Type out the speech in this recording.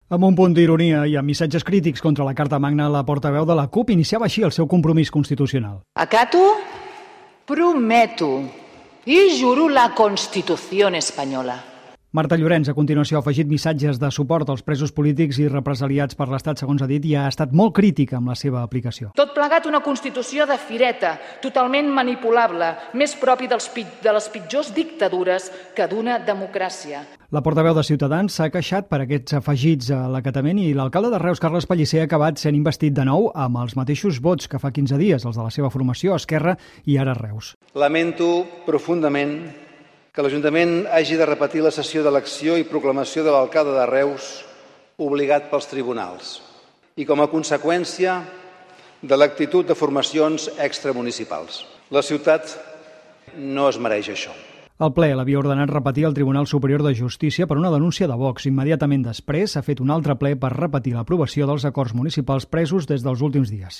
Amb un punt d'ironia i amb missatges crítics contra la Carta Magna, la portaveu de la CUP iniciava així el seu compromís constitucional. Acato, prometo i juro la Constitución espanyola. Marta Llorenç, a continuació, ha afegit missatges de suport als presos polítics i represaliats per l'Estat, segons ha dit, i ha estat molt crítica amb la seva aplicació. Tot plegat una Constitució de fireta, totalment manipulable, més propi de les pitjors dictadures que d'una democràcia. La portaveu de Ciutadans s'ha queixat per aquests afegits a l'acatament i l'alcalde de Reus, Carles Pellicer, ha acabat sent investit de nou amb els mateixos vots que fa 15 dies, els de la seva formació, Esquerra i ara Reus. Lamento profundament que l'Ajuntament hagi de repetir la sessió d'elecció i proclamació de l'alcalde de Reus obligat pels tribunals i com a conseqüència de l'actitud de formacions extramunicipals. La ciutat no es mereix això. El ple l'havia ordenat repetir al Tribunal Superior de Justícia per una denúncia de Vox. Immediatament després s'ha fet un altre ple per repetir l'aprovació dels acords municipals presos des dels últims dies.